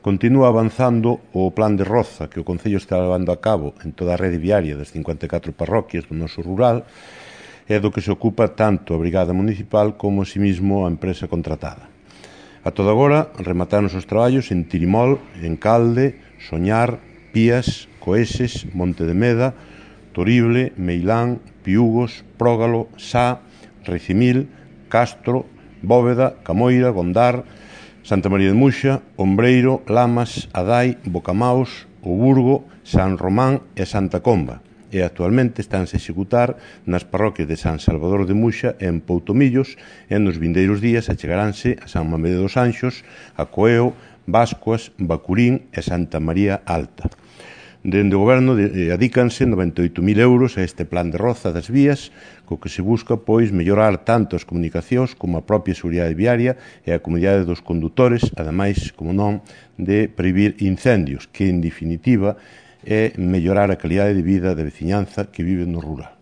Continúa avanzando o plan de Roza que o Concello está levando a cabo en toda a rede viaria das 54 parroquias do noso rural e do que se ocupa tanto a Brigada Municipal como, asimismo, a empresa contratada. A todo agora, remataron os traballos en Tirimol, en Calde, Soñar, Pías, Coeses, Monte de Meda, Torible, Meilán, Piúgos, Prógalo, Sá, Recimil, Castro, Bóveda, Camoira, Gondar, Santa María de Muxa, Ombreiro, Lamas, Adai, Bocamaos, O Burgo, San Román e Santa Comba. E actualmente estánse a executar nas parroquias de San Salvador de Muxa e en Poutomillos e nos vindeiros días achegaránse a San Mamede dos Anxos, a Coeo, Bascuas, Bacurín e Santa María Alta. Dende o Goberno adícanse 98.000 euros a este plan de Roza das vías, co que se busca, pois, mellorar tanto as comunicacións como a propia seguridade viaria e a comunidade dos condutores, ademais, como non, de previr incendios, que, en definitiva, é mellorar a calidade de vida da veciñanza que vive no rural.